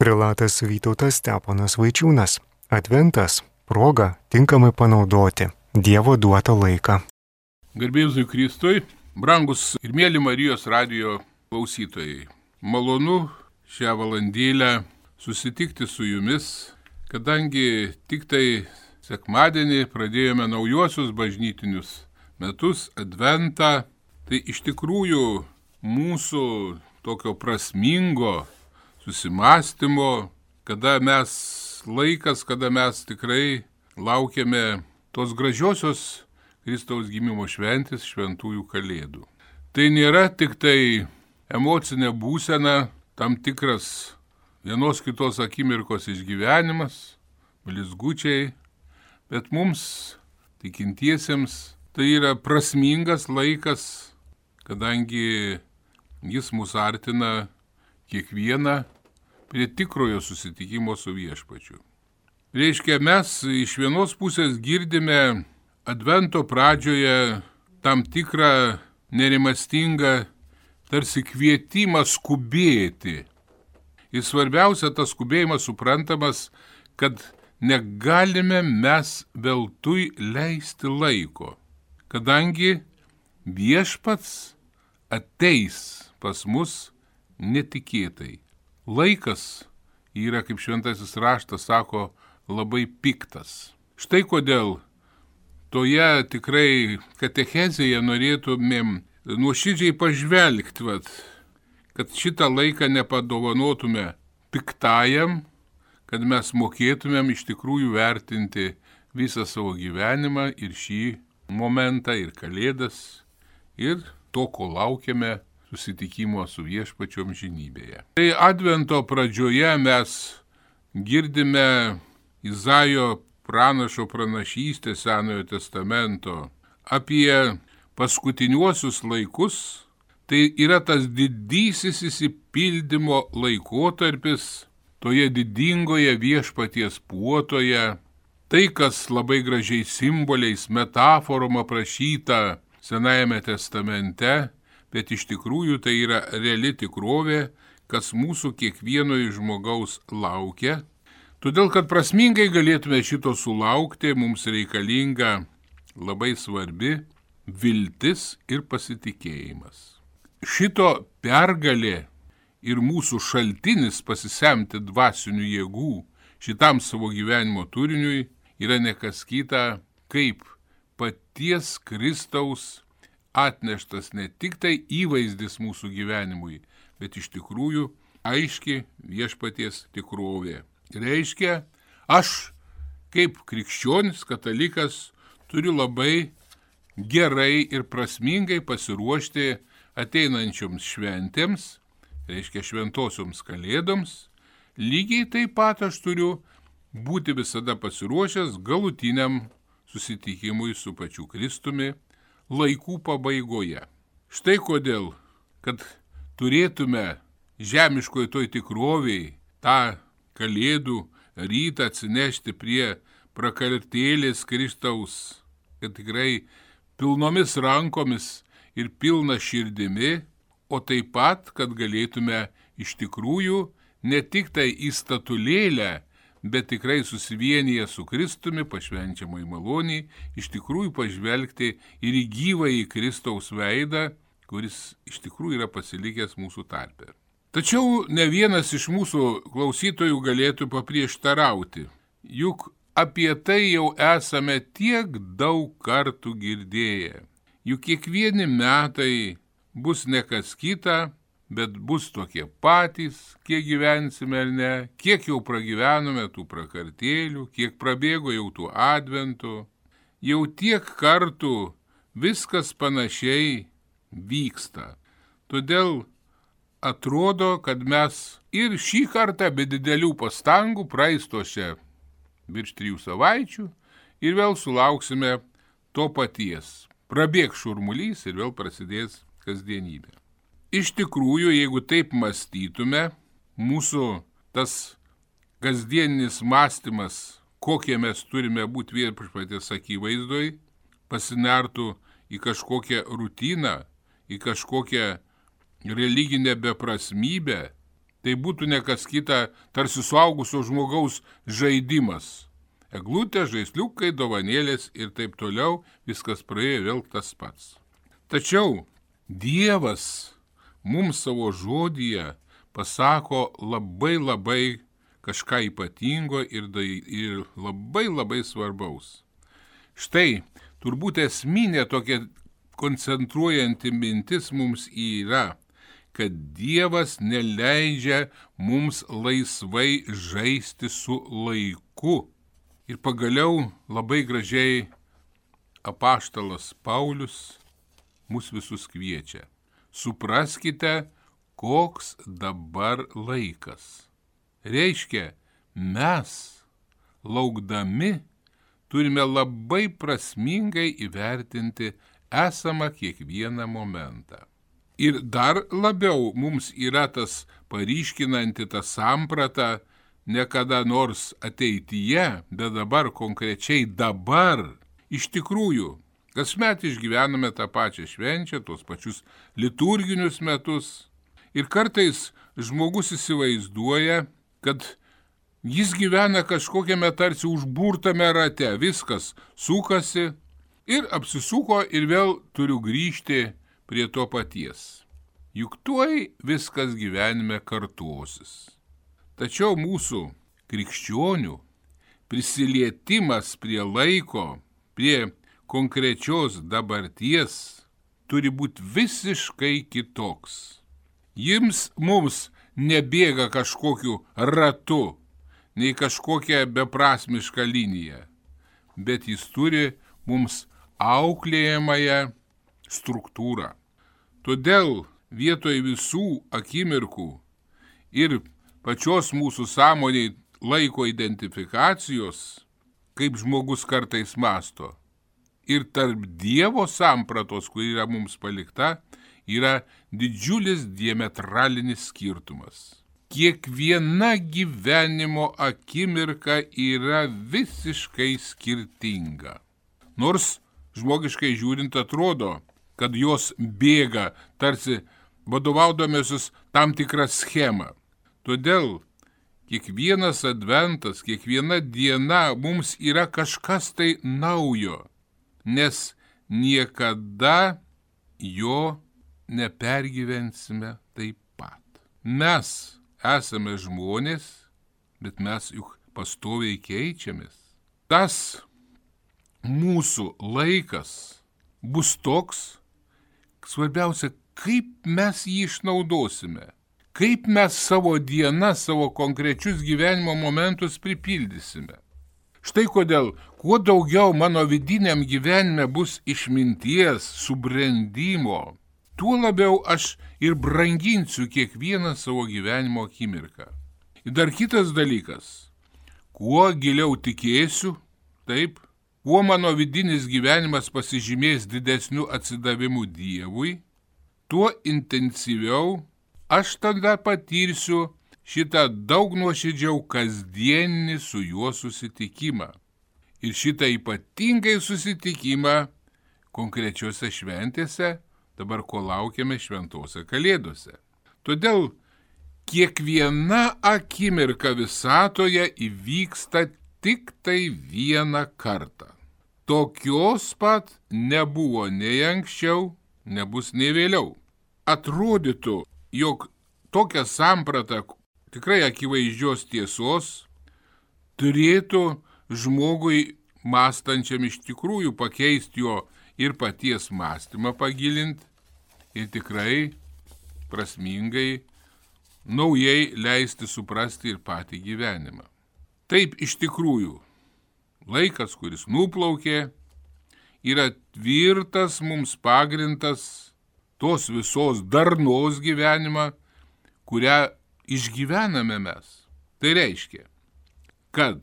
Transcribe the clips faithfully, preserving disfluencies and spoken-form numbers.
Prelatas Vytautas Steponas Vaičiūnas. Adventas – proga tinkamai panaudoti Dievo duotą laiką. Garbėzui Kristui, brangus ir mėly Marijos radijo klausytojai. Malonu šią valandėlę susitikti su jumis, kadangi tik tai sekmadienį pradėjome naujuosius bažnytinius metus, Adventą. Tai iš tikrųjų mūsų tokio prasmingo susimąstymo, kada mes laikas, kada mes tikrai laukiame tos gražiosios Kristaus gimimo šventės, šventųjų kalėdų. Tai nėra tik tai emocinė būsena, tam tikras vienos kitos akimirkos išgyvenimas, blizgučiai, bet mums, tikintiesiems, tai yra prasmingas laikas, kadangi jis mus artina kiekvieną prie tikrojo susitikimo su viešpačiu. Reiškia, mes iš vienos pusės girdime Advento pradžioje tam tikrą nerimastingą tarsi kvietimą skubėti. Ir svarbiausia, tas skubėjimas suprantamas, kad negalime mes veltui leisti laiko, kadangi viešpats ateis pas mus netikėtai. Laikas yra, kaip šventasis raštas sako, labai piktas. Štai kodėl toje tikrai katechezėje norėtumėm nuoširdžiai pažvelgti, vat, kad šitą laiką nepadovanotume piktajam, kad mes mokėtumėm iš tikrųjų vertinti visą savo gyvenimą ir šį momentą, ir kalėdas, ir to, ko laukiame susitikimo su viešpačiu amžinybėje. Tai Advento pradžioje mes girdime Izaijo pranašo pranašystę Senojo testamento apie paskutiniuosius laikus. Tai yra tas didysis išsipildymo laikotarpis toje didingoje viešpaties puotoje. Tai, kas labai gražiai simboliais, metaforom aprašyta Senajame testamente, bet iš tikrųjų tai yra reali tikrovė, kas mūsų kiekvieno iš žmogaus laukia. Todėl, kad prasmingai galėtume šito sulaukti, mums reikalinga labai svarbi viltis ir pasitikėjimas. Šito pergalė ir mūsų šaltinis pasisemti dvasinių jėgų šitam savo gyvenimo turiniui yra nekas kita, kaip paties Kristaus atneštas ne tik tai įvaizdis mūsų gyvenimui, bet iš tikrųjų aiški viešpaties tikrovė. Reiškia, aš kaip krikščionis, katalikas turiu labai gerai ir prasmingai pasiruošti ateinančioms šventėms, reiškia šventosioms kalėdoms. Lygiai taip pat aš turiu būti visada pasiruošęs galutiniam susitikimui su pačiu Kristumi laikų pabaigoje. Štai kodėl, kad turėtume žemiškoje toj tikroviai tą kalėdų rytą atsinešti prie prakartėlės Kristaus, kad tikrai pilnomis rankomis ir pilna širdimi, o taip pat, kad galėtume iš tikrųjų ne tik tai į statulėlę, bet tikrai susivienyje su Kristumi, pašvenčiamai maloniai, iš tikrųjų pažvelgti ir į gyvąjį Kristaus veidą, kuris iš tikrųjų yra pasilikęs mūsų tarpe. Tačiau ne vienas iš mūsų klausytojų galėtų paprieštarauti, juk apie tai jau esame tiek daug kartų girdėję. Juk kiekvieni metai bus ne kas kita, bet bus tokie patys, kiek gyvensime ar ne, kiek jau pragyvenome tų prakartėlių, kiek prabėgo jau tų adventų. Jau tiek kartų viskas panašiai vyksta. Todėl atrodo, kad mes ir šį kartą be didelių pastangų praeistose virš trijų savaičių ir vėl sulauksime to paties. Prabėgs šurmulys ir vėl prasidės kasdienybė. Iš tikrųjų, jeigu taip mąstytume, mūsų tas kasdieninis mąstymas, kokie mes turime būti viešpaties akivaizdoj, pasinertų į kažkokią rutiną, į kažkokią religinę beprasmybę, tai būtų ne kas kita, tarsi suaugusio žmogaus žaidimas. Eglutė, žaisliukai, dovanėlės ir taip toliau, viskas praėjo vėl tas pats. Tačiau Dievas mums savo žodyje pasako labai labai kažką ypatingo ir, ir labai labai svarbaus. Štai, turbūt esminė tokia koncentruojanti mintis mums yra, kad Dievas neleidžia mums laisvai žaisti su laiku. Ir pagaliau labai gražiai apaštalas Paulius mus visus kviečia. Supraskite, koks dabar laikas. Reiškia, mes, laukdami, turime labai prasmingai įvertinti esamą kiekvieną momentą. Ir dar labiau mums yra tas paryškinanti tą sampratą, ne kada nors ateityje, bet dabar konkrečiai dabar. Iš tikrųjų, kasmet išgyvename tą pačią švenčią, tuos pačius liturginius metus. Ir kartais žmogus įsivaizduoja, kad jis gyvena kažkokiame tarsi užburtame rate, viskas sukasi ir apsisuko ir vėl turiu grįžti prie to paties. Juk tuoj viskas gyvenime kartuosis. Tačiau mūsų krikščionių prisilietimas prie laiko, prie konkrečios dabarties turi būti visiškai kitoks. Jums mums nebėga kažkokiu ratu, nei kažkokia beprasmiška linija, bet jis turi mums auklėjamąją struktūrą. Todėl vietoj visų akimirkų ir pačios mūsų sąmoniai laiko identifikacijos, kaip žmogus kartais masto, ir tarp Dievo sampratos, kuri yra mums palikta, yra didžiulis diametralinis skirtumas. Kiekviena gyvenimo akimirka yra visiškai skirtinga. Nors žmogiškai žiūrint atrodo, kad jos bėga tarsi vadovaudomėsis tam tikrą schemą. Todėl kiekvienas adventas, kiekviena diena mums yra kažkas tai naujo, nes niekada jo nepergyvensime taip pat. Mes esame žmonės, bet mes juk pastoviai keičiamės. Tas mūsų laikas bus toks, svarbiausia, kaip mes jį išnaudosime, kaip mes savo dieną, savo konkrečius gyvenimo momentus pripildysime. Štai kodėl, kuo daugiau mano vidiniam gyvenime bus išminties, subrendimo, tuo labiau aš ir branginsiu kiekvieną savo gyvenimo akimirką. Ir dar kitas dalykas, kuo giliau tikėsiu, taip, kuo mano vidinis gyvenimas pasižymės didesniu atsidavimu Dievui, tuo intensyviau aš tada patirsiu šitą daug nuoširdžiau kasdieninį su juo susitikimą. Ir šitą ypatingai susitikimą konkrečiose šventėse, dabar ko laukiame šventose kalėdose. Todėl kiekviena akimirka visatoje įvyksta tik tai vieną kartą. Tokios pat nebuvo nei anksčiau, nebus nei vėliau. Atrodytų, jog tokia samprata tikrai akivaizdžios tiesos turėtų žmogui mąstančiam iš tikrųjų pakeisti jo ir paties mąstymą pagilinti ir tikrai prasmingai, naujai leisti suprasti ir patį gyvenimą. Taip iš tikrųjų, laikas, kuris nuplaukė, yra tvirtas mums pagrindas tos visos darnos gyvenimą, kurią išgyvename mes. Tai reiškia, kad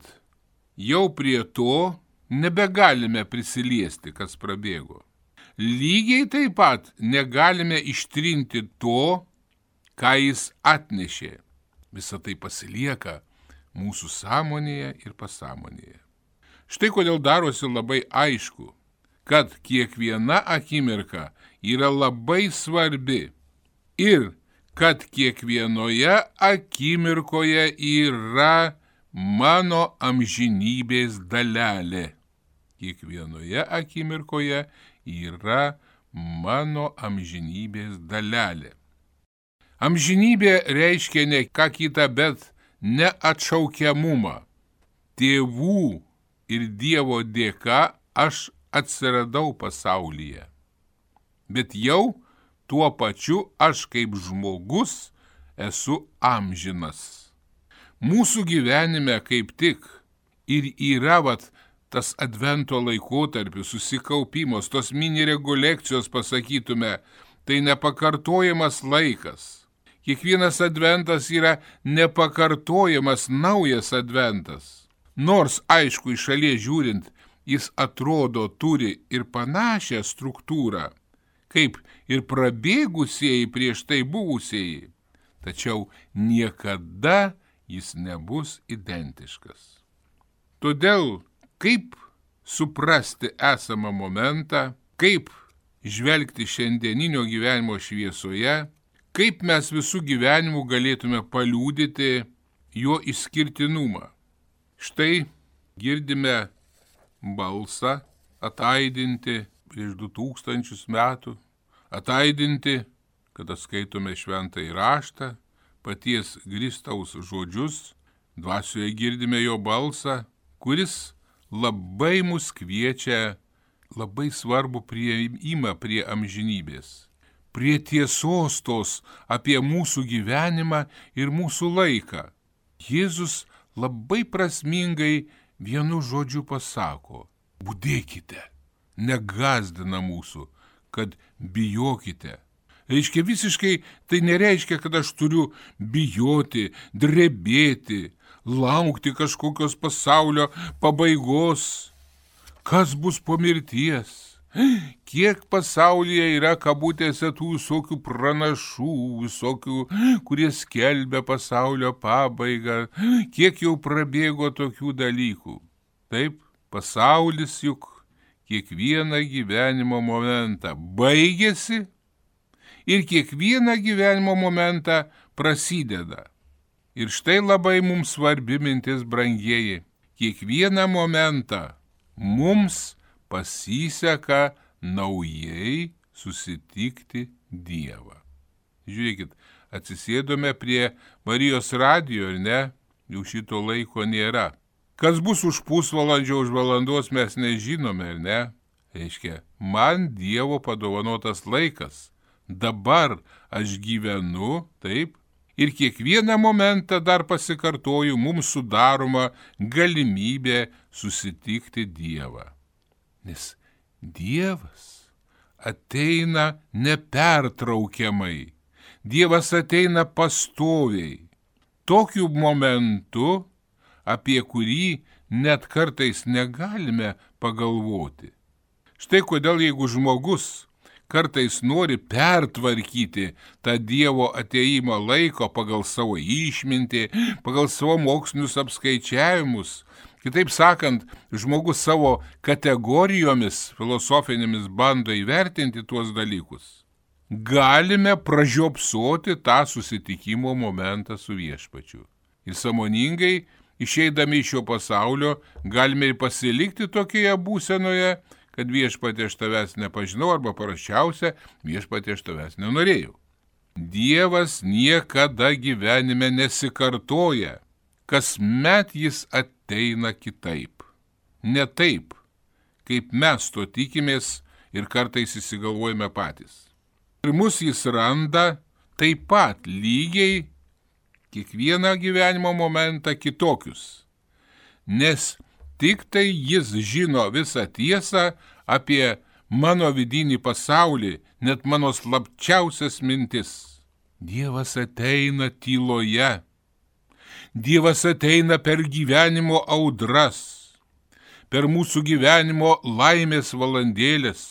jau prie to nebegalime prisiliesti, kas prabėgo. Lygiai taip pat negalime ištrinti to, ką jis atnešė. Visa tai pasilieka mūsų sąmonėje ir pasąmonėje. Štai kodėl darosi labai aišku, kad kiekviena akimirka yra labai svarbi ir kad kiekvienoje akimirkoje yra mano amžinybės dalelė. Kiekvienoje akimirkoje yra mano amžinybės dalelė. Amžinybė reiškia ne ką kitą, bet neatšaukiamumą. Tėvų ir Dievo dėka aš atsiradau pasaulyje. Bet jau tuo pačiu aš kaip žmogus esu amžinas. Mūsų gyvenime kaip tik ir yra vat, tas advento laikotarpis, susikaupimas, tos mini rekolekcijos, pasakytume, tai nepakartojamas laikas. Kiekvienas adventas yra nepakartojamas naujas adventas. Nors, aišku, iš šalies žiūrint, jis atrodo turi ir panašią struktūrą, kaip ir prabėgusieji prieš tai buvusieji, tačiau niekada jis nebus identiškas. Todėl, kaip suprasti esamą momentą, kaip žvelgti šiandieninio gyvenimo šviesoje, kaip mes visų gyvenimų galėtume paliudyti jo išskirtinumą. Štai girdime balsą ataidinti prieš du tūkstančius metų, ataidinti, kada skaitome šventąjį raštą, paties Kristaus žodžius, dvasioje girdime jo balsą, kuris labai mus kviečia labai svarbu priėjimą prie amžinybės, prie tiesos tos apie mūsų gyvenimą ir mūsų laiką. Jėzus labai prasmingai vienu žodžiu pasako: budėkite, negąsdina mūsų, kad bijokite. Reiškia visiškai, tai nereiškia, kad aš turiu bijoti, drebėti, laukti kažkokios pasaulio pabaigos. Kas bus po mirties? Kiek pasaulyje yra kabutėse tų visokių pranašų, visokių, kurie skelbia pasaulio pabaigą, kiek jau prabėgo tokių dalykų. Taip, pasaulis juk kiekvieną gyvenimo momentą baigėsi ir kiekvieną gyvenimo momentą prasideda. Ir štai labai mums svarbi mintis, brangieji, kiekvieną momentą mums pasiseka naujai susitikti Dievą. Žiūrėkit, atsisėdome prie Marijos radijo, ar ne? Jau šito laiko nėra. Kas bus už pusvalandžio, už valandos mes nežinome, ar ne? Reiškia, man Dievo padovanotas laikas. Dabar aš gyvenu, taip, ir kiekvieną momentą dar pasikartoju, mums sudaroma galimybė susitikti Dievą. Nes Dievas ateina nepertraukiamai, Dievas ateina pastoviai, tokiu momentu, apie kurį net kartais negalime pagalvoti. Štai kodėl, jeigu žmogus kartais nori pertvarkyti tą Dievo ateimo laiko pagal savo išmintį, pagal savo mokslinius apskaičiavimus, kitaip sakant, žmogus savo kategorijomis filosofinėmis bando įvertinti tuos dalykus, galime pražiopsoti tą susitikimo momentą su Viešpačiu. Ir sąmoningai, išeidami iš šio pasaulio, galime ir pasilikti tokioje būsenoje, kad Viešpatie aš tavęs nepažinau, arba paraščiausia, Viešpatie aš tavęs nenorėjau. Dievas niekada gyvenime nesikartoja, kasmet jis ateina kitaip. Ne taip, kaip mes to tikimės ir kartais įsigalvojame patys. Ir mus jis randa taip pat lygiai kiekvieną gyvenimo momentą kitokius, nes tik tai jis žino visą tiesą apie mano vidinį pasaulį, net mano slapčiausias mintis. Dievas ateina tyloje. Dievas ateina per gyvenimo audras, per mūsų gyvenimo laimės valandėlės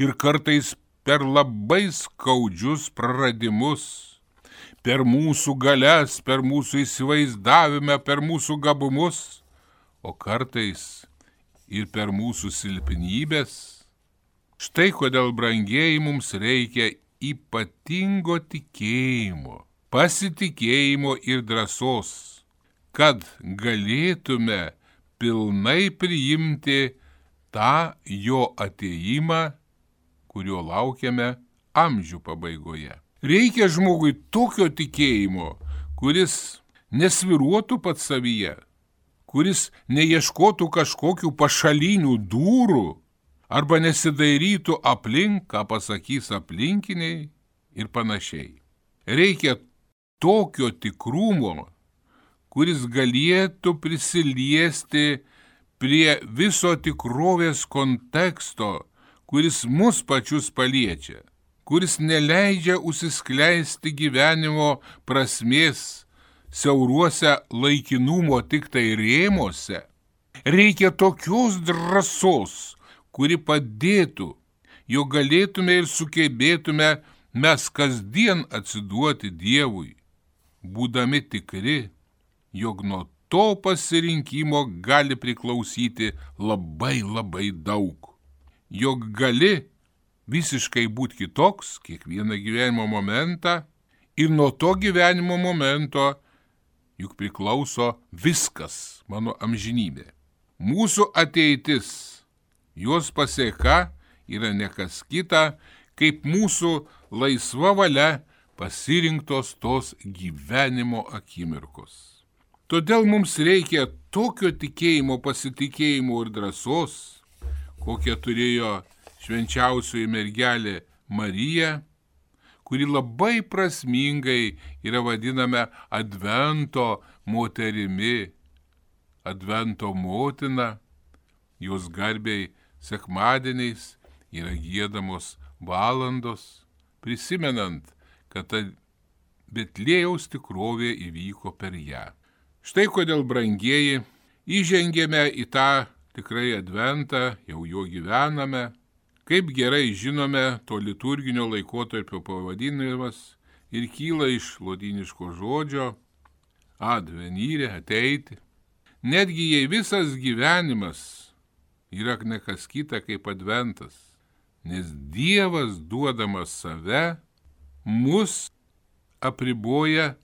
ir kartais per labai skaudžius praradimus, per mūsų galias, per mūsų įsivaizdavimą, per mūsų gabumus, o kartais ir per mūsų silpnybės. Štai kodėl, brangieji, mums reikia ypatingo tikėjimo, pasitikėjimo ir drąsos, kad galėtume pilnai priimti tą jo atėjimą, kurio laukiame amžių pabaigoje. Reikia žmogui tokio tikėjimo, kuris nesviruotų pats savyje, kuris neieškotų kažkokių pašalinių durų arba nesidairytų aplink, ką pasakys aplinkiniai ir panašiai. Reikia tokio tikrumo, kuris galėtų prisiliesti prie viso tikrovės konteksto, kuris mus pačius paliečia, kuris neleidžia užsiskleisti gyvenimo prasmės siauruose laikinumo tik tai rėmuose. Reikia tokios drąsos, kuri padėtų, jog galėtume ir sugebėtume mes kasdien atsiduoti Dievui, būdami tikri, jog nuo to pasirinkimo gali priklausyti labai labai daug, jog gali visiškai būti kitoks kiekvieną gyvenimo momentą ir nuo to gyvenimo momento juk priklauso viskas, mano amžinybė. Mūsų ateitis, jos pasėka yra ne kas kita, kaip mūsų laisva valia pasirinktos tos gyvenimo akimirkos. Todėl mums reikia tokio tikėjimo, pasitikėjimo ir drąsos, kokią turėjo švenčiausioji mergelė Marija, kuri labai prasmingai yra vadiname Advento moterimi, Advento motina, jos garbei sekmadieniais yra giedamos valandos, prisimenant, kad ta Betliejaus tikrovė įvyko per ją. Štai kodėl, brangieji, įžengėme į tą tikrai Adventą, jau jo gyvename. Kaip gerai žinome, to liturginio laikotarpio pavadinimas ir kyla iš lotyniško žodžio advenire, ateiti. Netgi jei visas gyvenimas yra ne kas kita kaip Adventas, nes Dievas duodamas save mus apriboja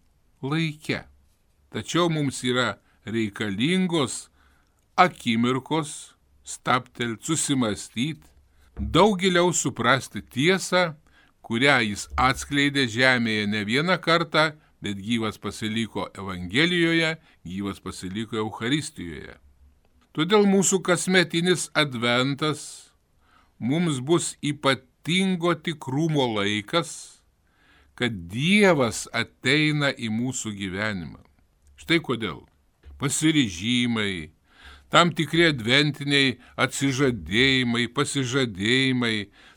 laike. Tačiau mums yra reikalingos akimirkos stabtelt, susimastyti, daug giliau suprasti tiesą, kurią jis atskleidė žemėje ne vieną kartą, bet gyvas pasiliko Evangelijoje, gyvas pasiliko Eucharistijoje. Todėl mūsų kasmetinis Adventas mums bus ypatingo tikrumo laikas, kad Dievas ateina į mūsų gyvenimą. Štai kodėl pasiryžimai, tam tikri adventiniai atsižadėjimai, pasižadėjimai,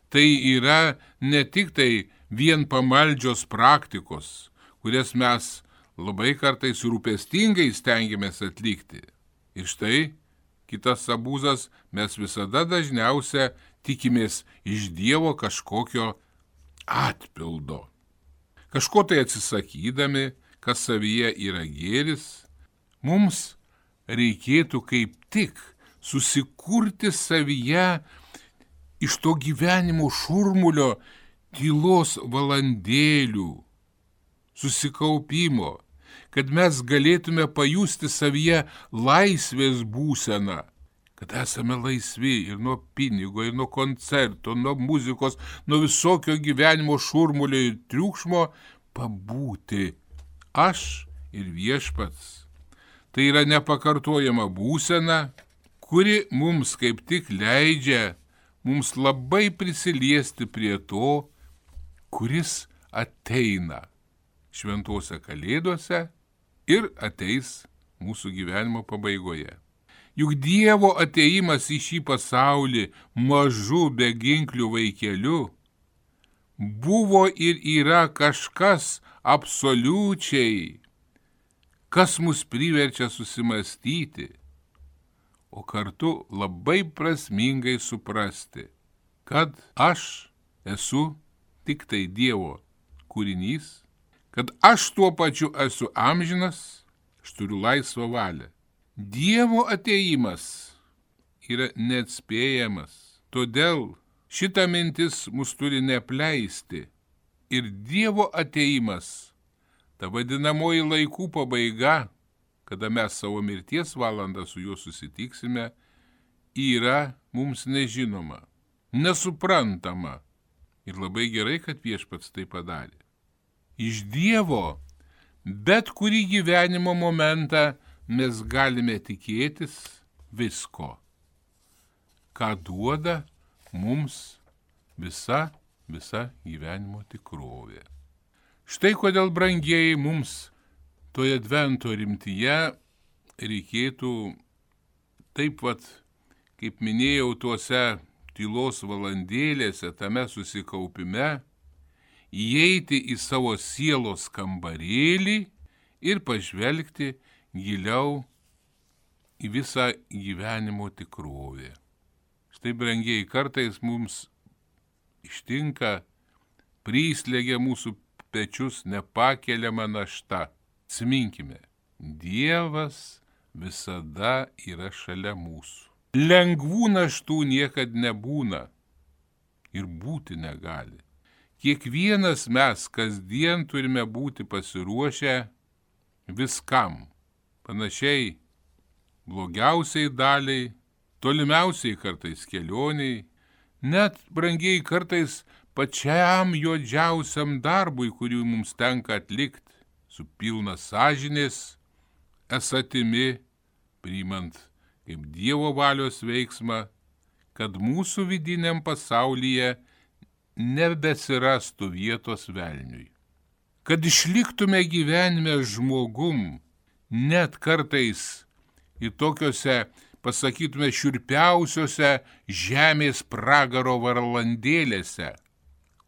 tai yra ne tik tai vien pamaldžios praktikos, kurias mes labai kartais rūpestingai stengiamės atlikti. Ir štai kitas abūzas, mes visada dažniausia tikimės iš Dievo kažkokio atpildo. Kažko tai atsisakydami, kas savyje yra gėris, mums reikėtų kaip tik susikurti savyje iš to gyvenimo šurmulio tylos valandėlių, susikaupimo, kad mes galėtume pajusti savyje laisvės būseną, kad esame laisvi ir nuo pinigo, ir nuo koncerto, nuo muzikos, nuo visokio gyvenimo šurmulio ir triukšmo pabūti aš ir viešpats. Tai yra nepakartojama būsena, kuri mums kaip tik leidžia mums labai prisiliesti prie to, kuris ateina šventose kalėdose ir ateis mūsų gyvenimo pabaigoje. Juk Dievo ateimas į šį pasaulį mažu beginkliu vaikeliu buvo ir yra kažkas absoliučiai, kas mus priverčia susimastyti, o kartu labai prasmingai suprasti, kad aš esu tik tai Dievo kūrinys, kad aš tuo pačiu esu amžinas, aš turiu laisvą valią. Dievo ateimas yra neatspėjamas, todėl šita mintis mus turi neapleisti, ir Dievo ateimas, ta vadinamoji laikų pabaiga, kada mes savo mirties valandą su juo susitiksime, yra mums nežinoma, nesuprantama. Ir labai gerai, kad Viešpats tai padarė. Iš Dievo bet kurį gyvenimo momentą mes galime tikėtis visko, ką duoda mums visa, visa gyvenimo tikrovė. Štai kodėl, brangieji, mums toje Advento rimtyje reikėtų taip pat, kaip minėjau, tuose tylos valandėlėse, tame susikaupime, įeiti į savo sielos kambarėlį ir pažvelgti giliau į visą gyvenimo tikrovę. Štai, brangieji, kartais mums ištinka, prislegia mūsų pečius nepakeliama našta. Atsiminkime, Dievas visada yra šalia mūsų. Lengvų naštų niekad nebūna ir būti negali. Kiekvienas mes kasdien turime būti pasiruošę viskam, panašiai blogiausiai daliai, tolimiausiai kartais kelioniai, net, brangiai, kartais pačiam juodžiausiam darbui, kurį mums tenka atlikti, su pilna sąžinės esatimi, priimant kaip Dievo valios veiksmą, kad mūsų vidiniam pasaulyje nebesirastų vietos velniui. Kad išliktume gyvenime žmogum, net kartais į tokiuose, pasakytume, šiurpiausiuose žemės pragaro valandėlėse,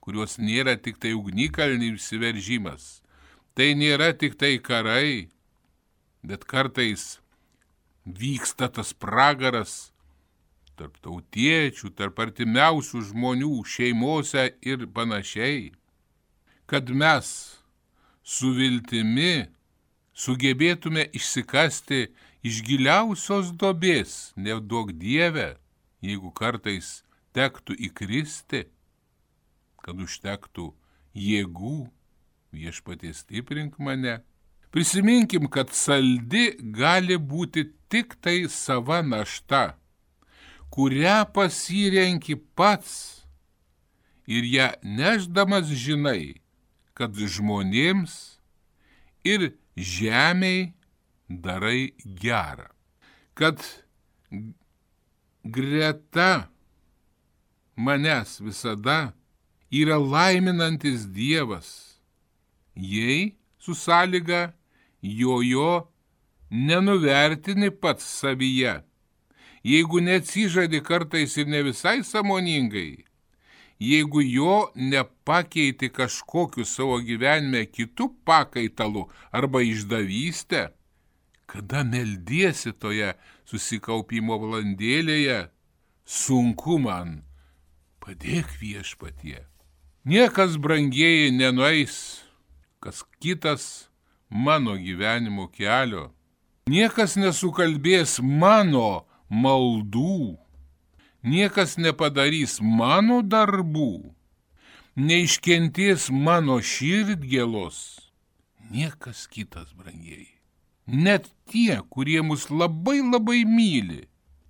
kurios nėra tik tai ugnikalnių įsiveržimas, tai nėra tik tai karai, bet kartais vyksta tas pragaras tarp tautiečių, tarp artimiausių žmonių, šeimose ir panašiai, kad mes su viltimi sugebėtume išsikasti iš giliausios duobės, neduok Dieve, jeigu kartais tektų įkristi, kad užtektų jėgų, Viešpatie stiprink mane. Prisiminkim, kad saldi gali būti tik tai sava našta, kurią pasirenki pats ir ją nešdamas žinai, kad žmonėms ir žemei darai gerą, kad greta manęs visada yra laiminantis Dievas, jei su sąlyga jojo nenuvertini pats savyje, jeigu neatsižadi kartais ir ne visai sąmoningai, jeigu jo nepakeiti kažkokiu savo gyvenime kitų pakaitalų arba išdavystę, kada meldiesi toje susikaupimo valandėlėje, sunku man, padėk Viešpatie. Niekas, brangieji, nenueis kas kitas mano gyvenimo kelio. Niekas nesukalbės mano maldų. Niekas nepadarys mano darbų. Neiškentės mano širdgėlos. Niekas kitas, brangieji. Net tie, kurie mus labai labai myli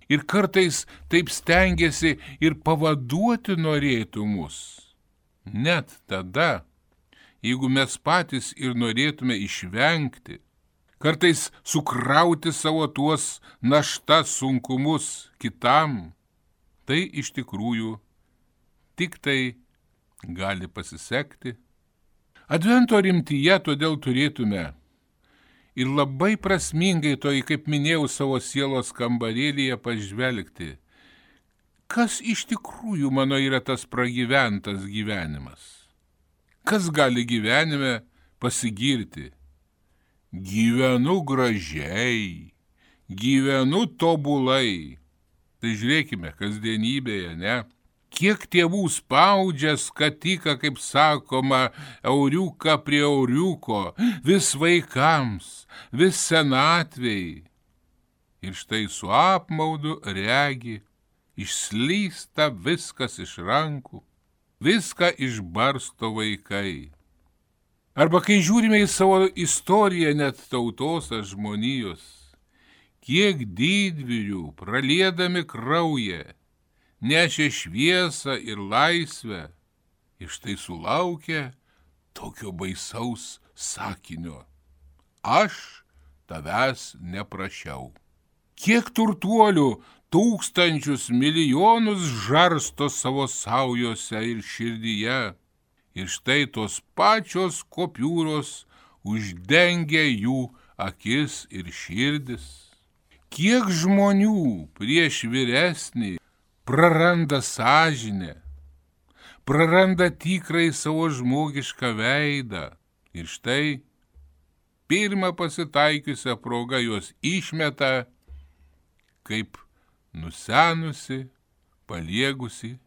ir kartais taip stengiasi ir pavaduoti norėtų mus. Net tada, jeigu mes patys ir norėtume išvengti, kartais sukrauti savo tuos naštas sunkumus kitam, tai iš tikrųjų tik tai gali pasisekti. Advento rimtyje todėl turėtume ir labai prasmingai toj, kaip minėjau, savo sielos kambarėlyje pažvelgti, kas iš tikrųjų mano yra tas pragyventas gyvenimas. Kas gali gyvenime pasigirti? Gyvenu gražiai, gyvenu tobulai. Tai žiūrėkime, kasdienybėje, ne? Kiek tėvų spaudžia skatiką, kaip sakoma, euriuką prie euriuko, vis vaikams, vis senatvei. Ir štai su apmaudu regi, išslysta viskas iš rankų. viską išbarsto vaikai. Arba kai žiūrime į savo istoriją net tautos ar žmonijos, kiek didvyrių praliedami kraują, nešė šviesą ir laisvę, ir štai sulaukė tokio baisaus sakinio: aš tavęs neprašiau. Kiek turtuolių tūkstančius milijonus žarsto savo saujose ir širdyje, ir štai tos pačios kopiūros uždengia jų akis ir širdis. Kiek žmonių prieš vyresnį praranda sąžinę, praranda tikrai savo žmogišką veidą, ir štai pirmą pasitaikiusią progą juos išmeta kaip nusenusi, paliegusi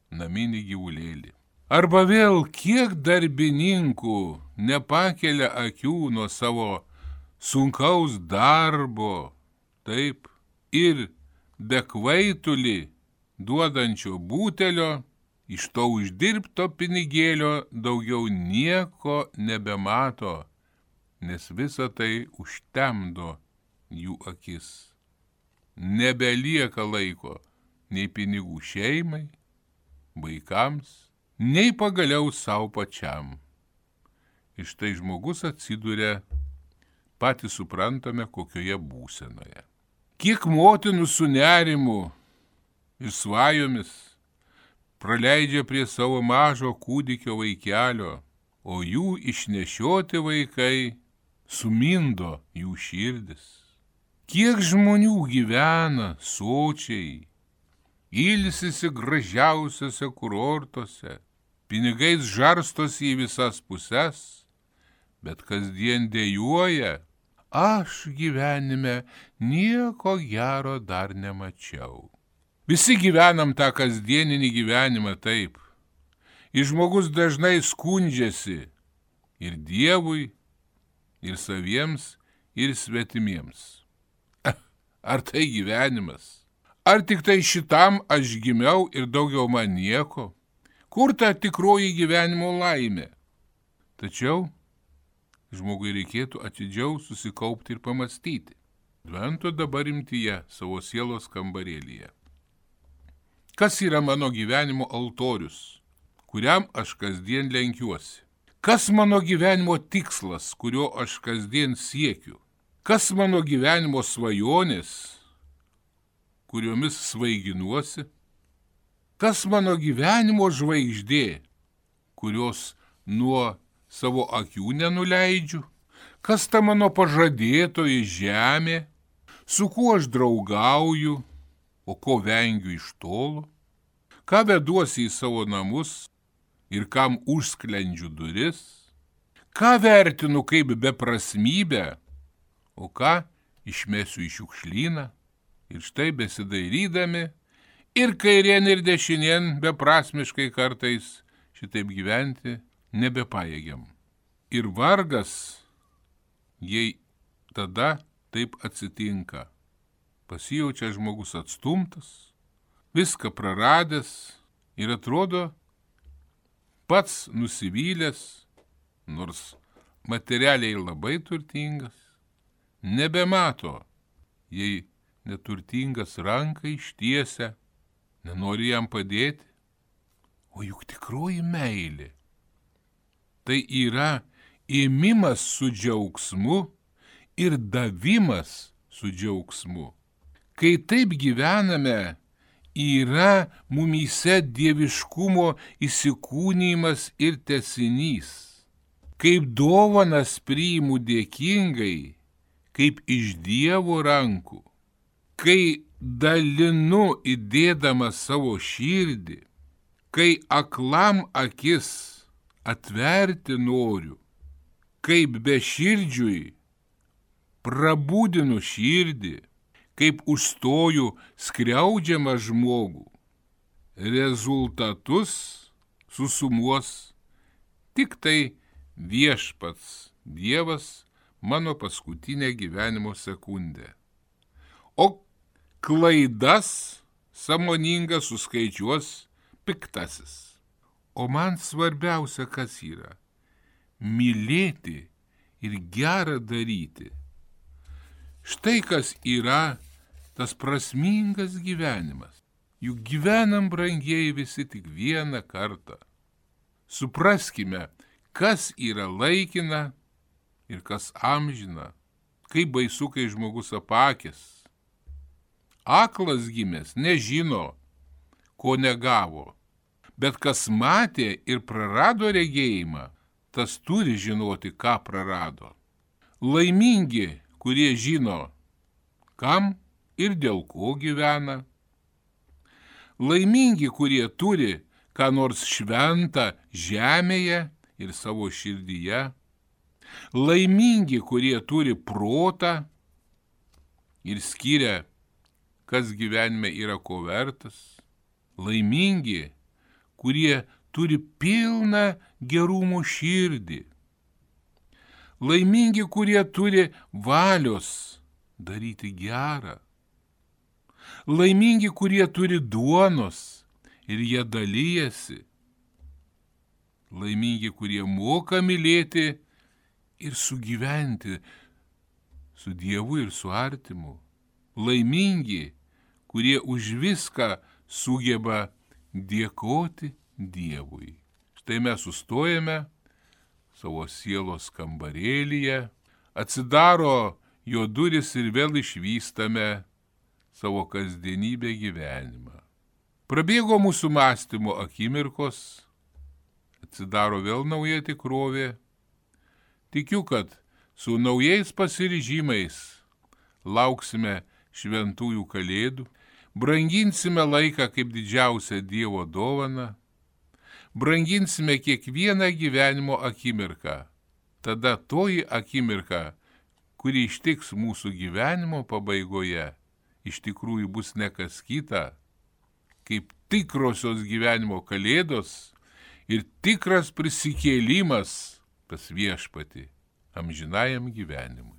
naminį gyvulėlį. Arba vėl kiek darbininkų nepakelia akių nuo savo sunkaus darbo, taip, ir be kvaitulį duodančio butelio, iš to uždirbto pinigėlio daugiau nieko nebemato, nes visa tai užtemdo jų akis. Nebelieka laiko nei pinigų šeimai, vaikams, nei pagaliau savo pačiam. Ir štai žmogus atsiduria, patys suprantame, kokioje būsenoje. Kiek motinų su nerimu ir svajomis praleidžia prie savo mažo kūdikio vaikelio, o jų išnešioti vaikai sumindo jų širdis. Kiek žmonių gyvena sočiai, ilsisi gražiausiose kurortuose, pinigais žarstosi į visas puses, bet kasdien dejuoja: aš gyvenime nieko gero dar nemačiau. Visi gyvenam tą kasdieninį gyvenimą taip. Ir žmogus dažnai skundžiasi ir Dievui, ir saviems, ir svetimiems. Ar tai gyvenimas? Ar tik tai šitam aš gimiau ir daugiau man nieko? Kur ta tikroji gyvenimo laimė? Tačiau žmogui reikėtų atidžiau susikaupti ir pamastyti. Advento dabar rimtyje savo sielos kambarėlyje. Kas yra mano gyvenimo altorius, kuriam aš kasdien lenkiuosi? Kas mano gyvenimo tikslas, kurio aš kasdien siekiu? Kas mano gyvenimo svajonės, kuriomis svaiginuosi? Kas mano gyvenimo žvaigždė, kurios nuo savo akių nenuleidžiu? Kas ta mano pažadėtoji žemė, su kuo aš draugauju, o ko vengiu iš tolo? Ką veduosi į savo namus ir kam užsklendžiu duris? Ką vertinu kaip beprasmybę, o ką išmesiu į šiukšlyną? Ir štai besidairydami ir kairien ir dešinien beprasmiškai kartais šitaip gyventi nebepajėgiam. Ir vargas, jei tada taip atsitinka. Pasijaučia žmogus atstumtas, viską praradęs ir atrodo pats nusivylęs, nors materialiai labai turtingas, nebemato, jei neturtingas ranką ištiesia, nenori jam padėti. O juk tikroji meilė tai yra ėmimas su džiaugsmu ir davimas su džiaugsmu. Kai taip gyvename, yra mumyse dieviškumo įsikūnymas ir tęsinys. Kaip dovanas priimu dėkingai, kaip iš Dievo rankų, kai dalinu įdėdama savo širdį, kai aklam akis atverti noriu, kaip beširdžiui prabudinu širdį, kaip užstoju skriaudžiamą žmogų. Rezultatus susumuos tik tai viešpats Dievas mano paskutinę gyvenimo sekundę. O klaidas sąmoningas suskaičiuos piktasis. o man svarbiausia kas yra - mylėti ir gerą daryti. Štai kas yra tas prasmingas gyvenimas. Juk gyvenam, brangieji, visi tik vieną kartą. Supraskime, kas yra laikina ir kas amžina. Kaip baisu, kai žmogus apakęs. Aklas gimęs nežino, ko negavo. Bet kas matė ir prarado regėjimą, tas turi žinoti, ką prarado. Laimingi, kurie žino, kam ir dėl ko gyvena. Laimingi, kurie turi ką nors šventą žemėje ir savo širdyje. Laimingi, kurie turi protą ir skiria, kas gyvenime yra ko vertas. Laimingi, kurie turi pilną gerumo širdį. Laimingi, kurie turi valios daryti gerą. Laimingi, kurie turi duonos ir jie dalyjasi. Laimingi, kurie moka mylėti ir sugyventi su Dievu ir su artimu. Laimingi, kurie už viską sugeba dėkoti Dievui. Štai mes sustojame savo sielos kambarėlyje, atsidaro jo duris ir vėl išvystame savo kasdienybę gyvenimą. Prabėgo mūsų mąstymo akimirkos, atsidaro vėl nauja tikrovė. Tikiu, kad su naujais pasiryžimais lauksime šventųjų kalėdų, branginsime laiką kaip didžiausią Dievo dovaną, branginsime kiekvieną gyvenimo akimirką. Tada toji akimirka, kuri ištiks mūsų gyvenimo pabaigoje, iš tikrųjų bus ne kas kita, kaip tikrosios gyvenimo kalėdos ir tikras prisikėlimas pas viešpatį amžinajam gyvenimui.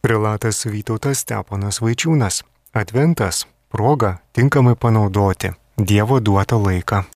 Prelatas Vytautas Steponas Vaičiūnas. Adventas - proga tinkamai panaudoti Dievo duotą laiką.